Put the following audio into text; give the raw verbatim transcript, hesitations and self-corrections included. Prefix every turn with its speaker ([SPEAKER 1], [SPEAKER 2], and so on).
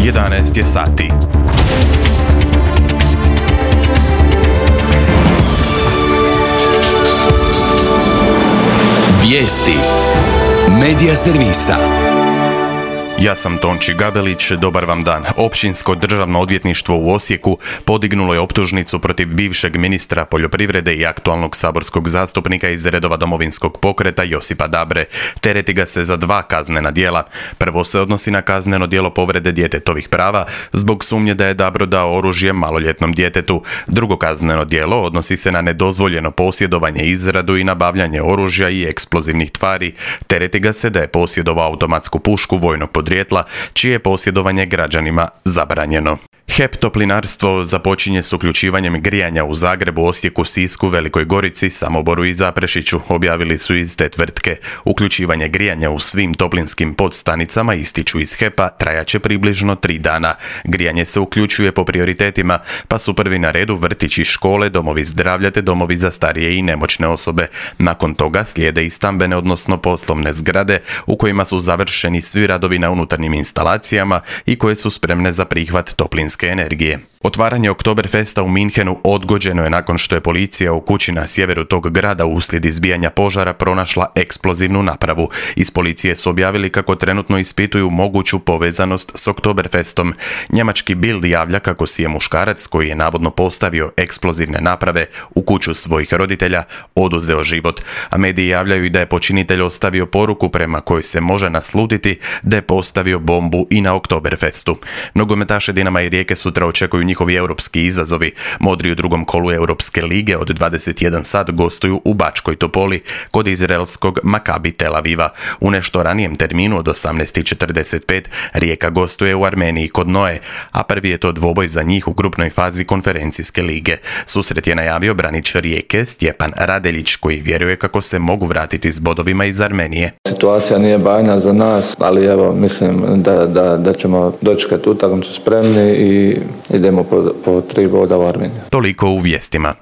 [SPEAKER 1] jedanaest je sati.
[SPEAKER 2] Vijesti Medija servisa.
[SPEAKER 1] Ja sam Tonči Gabelić, dobar vam dan. Općinsko državno odvjetništvo u Osijeku podignulo je optužnicu protiv bivšeg ministra poljoprivrede i aktualnog saborskog zastupnika iz redova Domovinskog pokreta Josipa Dabre. Tereti ga se za dva kaznena djela. Prvo se odnosi na kazneno djelo povrede djetetovih prava zbog sumnje da je Dabro dao oružje maloljetnom djetetu. Drugo kazneno djelo odnosi se na nedozvoljeno posjedovanje, izradu i nabavljanje oružja i eksplozivnih tvari. Tereti ga se da je posjedovao automatsku pušku vojnog podrijetla, čije je posjedovanje građanima zabranjeno. H E P Toplinarstvo započinje s uključivanjem grijanja u Zagrebu, Osijeku, Sisku, Velikoj Gorici, Samoboru i Zaprešiću, objavili su iz te tvrtke. Uključivanje grijanja u svim toplinskim podstanicama, ističu iz H E P-a, trajaće približno tri dana. Grijanje se uključuje po prioritetima, pa su prvi na redu vrtići, škole, domovi zdravlja te domovi za starije i nemoćne osobe. Nakon toga slijede i stambene, odnosno poslovne zgrade, u kojima su završeni svi radovi na unutarnjim instalacijama i koje su spremne za prihvat toplinske energije. Otvaranje Oktoberfesta u Minhenu odgođeno je nakon što je policija u kući na sjeveru tog grada uslijed izbijanja požara pronašla eksplozivnu napravu. Iz policije su objavili kako trenutno ispituju moguću povezanost s Oktoberfestom. Njemački Bild javlja kako si je muškarac koji je navodno postavio eksplozivne naprave u kuću svojih roditelja oduzeo život, a mediji javljaju i da je počinitelj ostavio poruku prema kojoj se može naslutiti da je postavio bombu i na Oktoberfestu. Nogometaše Dinama i Rijeke sutra očekuju njihovi europski izazovi. Modri u drugom kolu Europske lige od dvadeset jedan sat gostuju u Bačkoj Topoli kod izraelskog Makabi Tel Aviva. U nešto ranijem terminu od osamnaest četrdeset pet Rijeka gostuje u Armeniji kod Noe, a prvi je to dvoboj za njih u grupnoj fazi konferencijske lige. Susret je najavio branič Rijeke Stjepan Radeljić, koji vjeruje kako se mogu vratiti s bodovima iz Armenije.
[SPEAKER 3] Situacija nije bajna za nas, ali evo mislim da, da, da ćemo dočekati utakmicu spremni i idemo po, po tri boda u Armeniju.
[SPEAKER 1] Toliko u vijestima.